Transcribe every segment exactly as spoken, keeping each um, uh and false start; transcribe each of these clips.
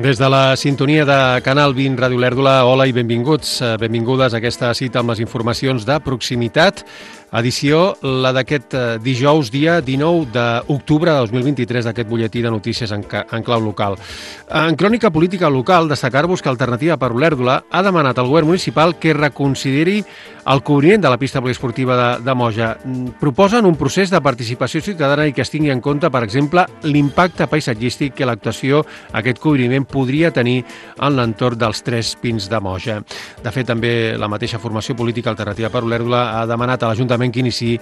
Des de la sintonia de Canal vint Ràdio Olèrdola, hola i benvinguts, benvingudes a aquesta cita amb les informacions de proximitat. Edició, la d'aquest dijous, dia dinou d'octubre de dos mil vint-i-tres, d'aquest butlletí de notícies en, en clau local. En crònica política local, destacar-vos que Alternativa per Olèrdola ha demanat al govern municipal que reconsideri el cobriment de la pista poliesportiva de, de Moja. Proposen un procés de participació ciutadana i que es tingui en compte, per exemple, l'impacte paisatgístic que l'actuació, aquest cobriment, podria tenir en l'entorn dels Tres Pins de Moja. De fet, també la mateixa formació política Alternativa per Olèrdola ha demanat a l'Ajuntament que iniciï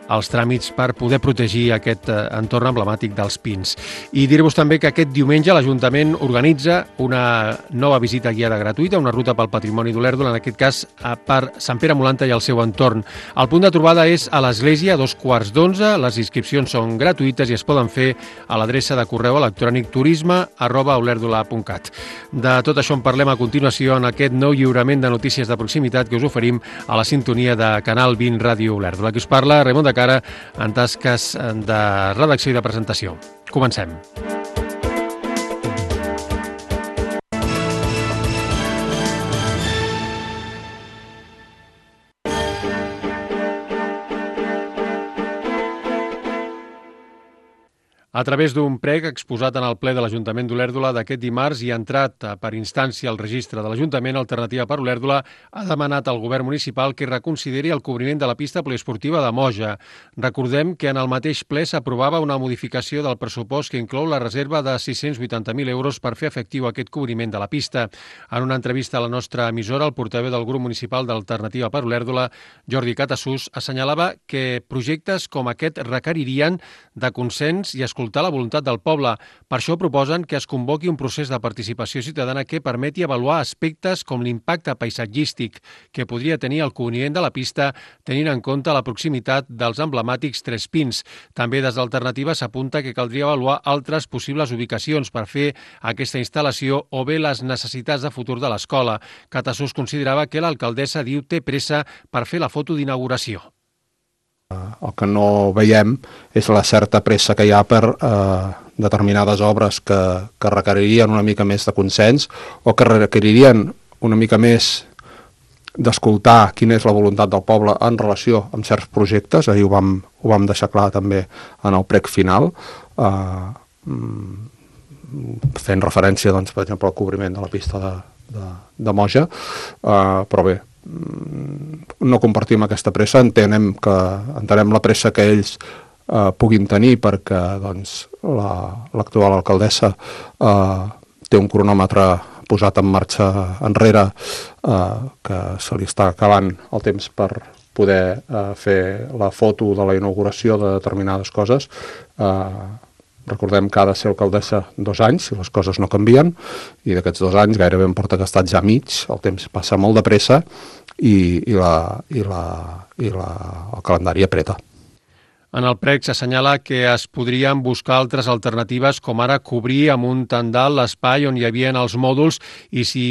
els tràmits per poder protegir aquest entorn emblemàtic dels Pins. I dir-vos també que aquest diumenge l'Ajuntament organitza una nova visita guiada gratuïta, una ruta pel patrimoni d'Olèrdola, en aquest cas per Sant Pere Molanta i el seu entorn. El punt de trobada és a l'església a dos quarts d'onze, les inscripcions són gratuïtes i es poden fer a l'adreça de correu electrònic turisme arroba olèrdola punt cat. De tot això en parlem a continuació en aquest nou lliurament de notícies de proximitat que us oferim a la sintonia de Canal vint Ràdio Olèrdola. La que us parla, Raimon de Cara, en tasques de redacció i de presentació. Comencem. A través d'un prec exposat en el ple de l'Ajuntament d'Olèrdola d'aquest dimarts i entrat per instància al registre de l'Ajuntament, Alternativa per Olèrdola ha demanat al govern municipal que reconsideri el cobriment de la pista poliesportiva de Moja. Recordem que en el mateix ple s'aprovava una modificació del pressupost que inclou la reserva de sis-cents vuitanta mil euros per fer efectiu aquest cobriment de la pista. En una entrevista a la nostra emissora, el portaveu del grup municipal d'Alternativa per Olèrdola, Jordi Catassús, assenyalava que projectes com aquest requeririen de consens i escoltar la voluntat del poble. Per això proposen que es convoqui un procés de participació ciutadana que permeti avaluar aspectes com l'impacte paisatgístic que podria tenir el cobriment de la pista tenint en compte la proximitat dels emblemàtics Tres Pins. També des d'Alternativa s'apunta que caldria avaluar altres possibles ubicacions per fer aquesta instal·lació o bé les necessitats de futur de l'escola. Catassús considerava que l'alcaldessa diu té pressa per fer la foto d'inauguració. El que no veiem és la certa pressa que hi ha per eh, determinades obres que, que requeririen una mica més de consens o que requeririen una mica més d'escoltar quina és la voluntat del poble en relació amb certs projectes. Ahir ho vam, ho vam deixar clar també en el prec final, eh, fent referència, doncs, per exemple, al cobriment de la pista de, de, de Moja, eh, però bé, no compartim aquesta pressa, entenem, que, entenem la pressa que ells eh, puguin tenir perquè doncs, l'actual la, alcaldessa eh, té un cronòmetre posat en marxa enrere eh, que se li està acabant el temps per poder eh, fer la foto de la inauguració de determinades coses. Eh, Recordem que ha de ser alcaldessa dos anys, si les coses no canvien, i d'aquests dos anys gairebé em porta gastat ja mig, el temps passa molt de pressa i, i, la, i, la, i la, el calendari apreta. En el prec s'assenyala que es podrien buscar altres alternatives, com ara cobrir amb un tendal l'espai on hi havia els mòduls, i si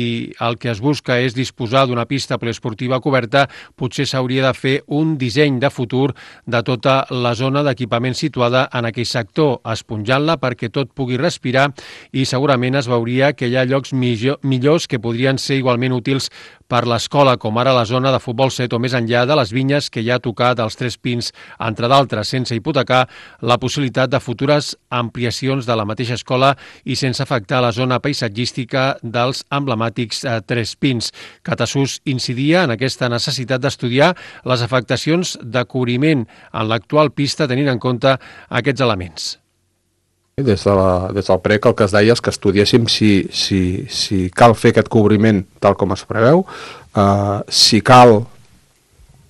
el que es busca és disposar d'una pista poliesportiva coberta, potser s'hauria de fer un disseny de futur de tota la zona d'equipament situada en aquell sector, esponjant-la perquè tot pugui respirar, i segurament es veuria que hi ha llocs millor, millors que podrien ser igualment útils per l'escola, com ara la zona de futbol set o més enllà de les vinyes que hi ha tocat als Tres Pins, entre d'altres, sense hipotecar la possibilitat de futures ampliacions de la mateixa escola i sense afectar la zona paisatgística dels emblemàtics eh, Tres Pins. Catassús incidia en aquesta necessitat d'estudiar les afectacions de cobriment en l'actual pista tenint en compte aquests elements. Des, de la, des del prec el que es deia és que estudiéssim si, si, si cal fer aquest cobriment tal com es preveu, uh, si cal,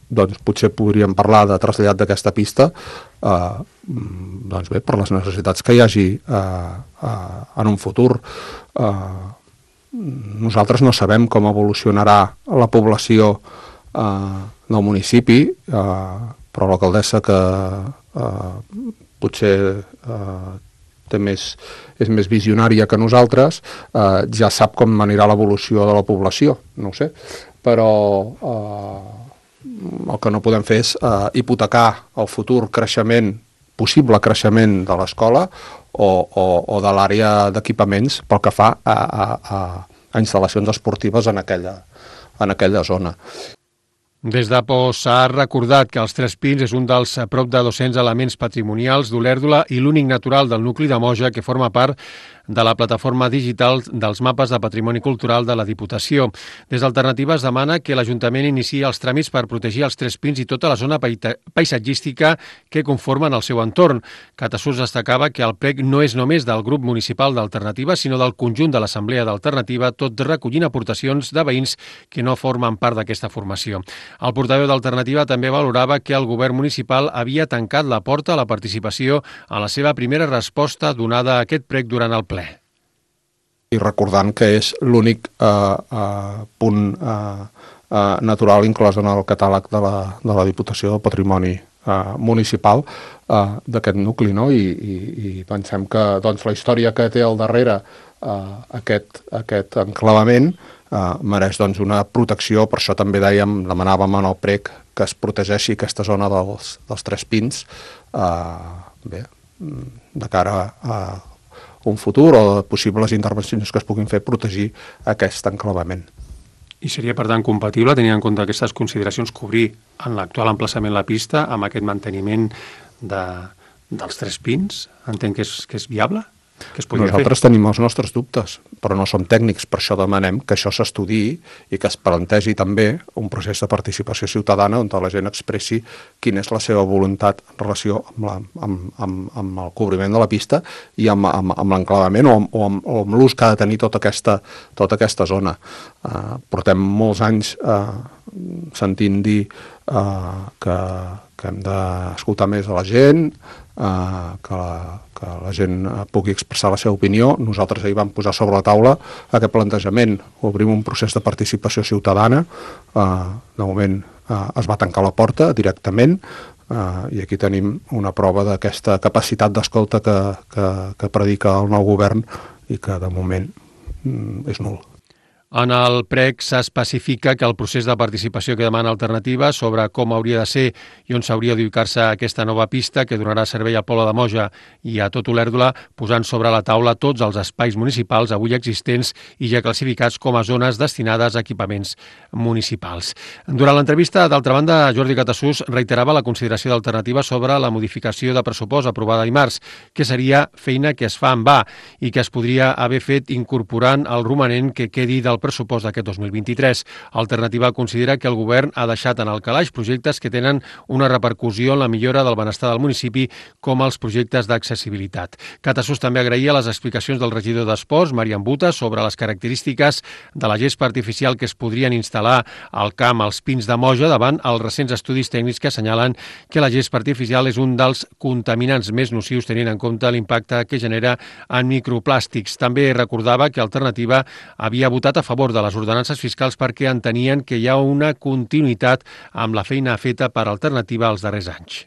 doncs potser podríem parlar de trasllat d'aquesta pista, uh, doncs bé, per les necessitats que hi hagi uh, uh, en un futur. Uh, nosaltres no sabem com evolucionarà la població uh, del municipi, uh, però l'alcaldessa que uh, potser uh, té més, és més visionària que nosaltres, eh, ja sap com anirà l'evolució de la població, no ho sé, però eh, el que no podem fer és eh, hipotecar el futur creixement possible creixement de l'escola o, o, o de l'àrea d'equipaments pel que fa a, a, a, a instal·lacions esportives en aquella, en aquella zona. Des d'Apo s'ha recordat que els Tres Pins és un dels prop de dos-cents elements patrimonials d'Olèrdola i l'únic natural del nucli de Moja que forma part de la plataforma digital dels mapes de patrimoni cultural de la Diputació. Des d'Alternativa es demana que l'Ajuntament iniciï els tràmits per protegir els Tres Pins i tota la zona paisatgística que conformen el seu entorn. Catasús destacava que el prec no és només del grup municipal d'Alternativa, sinó del conjunt de l'Assemblea d'Alternativa, tot recollint aportacions de veïns que no formen part d'aquesta formació. El portaveu d'Alternativa també valorava que el govern municipal havia tancat la porta a la participació en la seva primera resposta donada a aquest prec durant el ple. I recordant que és l'únic eh, eh, punt eh, eh, natural inclòs en el catàleg de la, de la Diputació del Patrimoni eh, Municipal eh, d'aquest nucli, no? I, i, i pensem que doncs, la història que té al darrere eh, aquest, aquest enclavament eh, mereix doncs, una protecció, per això també dèiem, demanàvem en el prec que es protegeixi aquesta zona dels, dels Tres Pins eh, bé, de cara a un futur o possibles intervencions que es puguin fer protegir aquest enclavament. I seria, per tant, compatible, tenint en compte aquestes consideracions, cobrir en l'actual emplaçament la pista amb aquest manteniment de, dels Tres Pins? Entenc que és, que és viable? Que es podria Nosaltres fer? tenim els nostres dubtes, però no som tècnics, per això demanem que això s'estudiï i que es plantegi també un procés de participació ciutadana on la gent expressi quina és la seva voluntat en relació amb, la, amb, amb, amb el cobriment de la pista i amb, amb, amb l'enclavament o, o amb, o amb l'ús que ha de tenir tota aquesta, tota aquesta zona. Uh, portem molts anys uh, sentint dir uh, que, que hem d'escoltar més a la gent, Uh, que, la, que la gent pugui expressar la seva opinió. Nosaltres ahir vam posar sobre la taula aquest plantejament, obrim un procés de participació ciutadana, uh, de moment uh, es va tancar la porta directament uh, i aquí tenim una prova d'aquesta capacitat d'escolta que, que, que predica el nou govern i que de moment mm, és nul. En el prec s'especifica que el procés de participació que demana Alternativa sobre com hauria de ser i on s'hauria d'ubicar-se aquesta nova pista que donarà servei al poble de Moja i a tot Olèrdola, posant sobre la taula tots els espais municipals avui existents i ja classificats com a zones destinades a equipaments municipals. Durant l'entrevista, d'altra banda, Jordi Catasús reiterava la consideració d'Alternativa sobre la modificació de pressupost aprovada dimarts, que seria feina que es fa en va i que es podria haver fet incorporant el romanent que quedi del pressupost d'aquest dos mil vint-i-tres. Alternativa considera que el govern ha deixat en el calaix projectes que tenen una repercussió en la millora del benestar del municipi, com els projectes d'accessibilitat. Catasús també agraïa les explicacions del regidor d'Esports, Marian Buta, sobre les característiques de la gespa artificial que es podrien instal·lar al camp als Pins de Moja davant els recents estudis tècnics que assenyalen que la gespa artificial és un dels contaminants més nocius tenint en compte l'impacte que genera en microplàstics. També recordava que Alternativa havia votat a favor favor de les ordenances fiscals perquè entenien que hi ha una continuïtat amb la feina feta per Alternativa els darrers anys.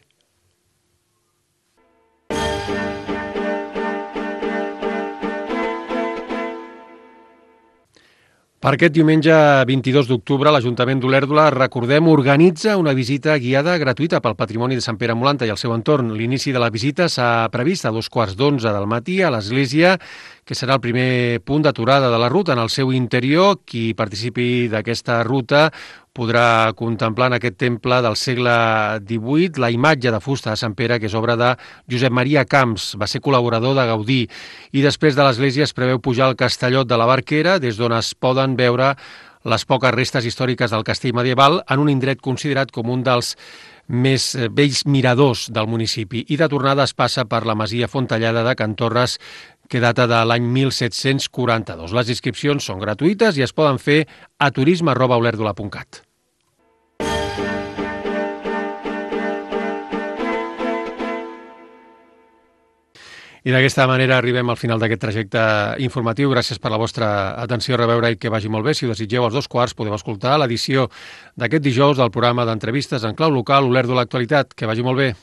Per aquest diumenge vint-i-dos d'octubre, l'Ajuntament d'Olèrdola, recordem, organitza una visita guiada gratuïta pel patrimoni de Sant Pere Molanta i el seu entorn. L'inici de la visita s'ha previst a dos quarts d'onze del matí a l'església, que serà el primer punt d'aturada de la ruta. En el seu interior, qui participi d'aquesta ruta podrà contemplar en aquest temple del segle divuit la imatge de fusta de Sant Pere, que és obra de Josep Maria Camps, va ser col·laborador de Gaudí. I després de l'església es preveu pujar al Castellot de la Barquera, des d'on es poden veure les poques restes històriques del castell medieval en un indret considerat com un dels més vells miradors del municipi. I de tornada es passa per la masia Fontellada de Can Torres, que data de l'any mil set-cents quaranta-dos. Les inscripcions són gratuïtes i es poden fer a turisme arroba olèrdola punt cat. I d'aquesta manera arribem al final d'aquest trajecte informatiu. Gràcies per la vostra atenció, a reveure i que vagi molt bé. Si ho desitgeu, als dos quarts podeu escoltar l'edició d'aquest dijous del programa d'entrevistes en clau local Olèrdola Actualitat. Que vagi molt bé.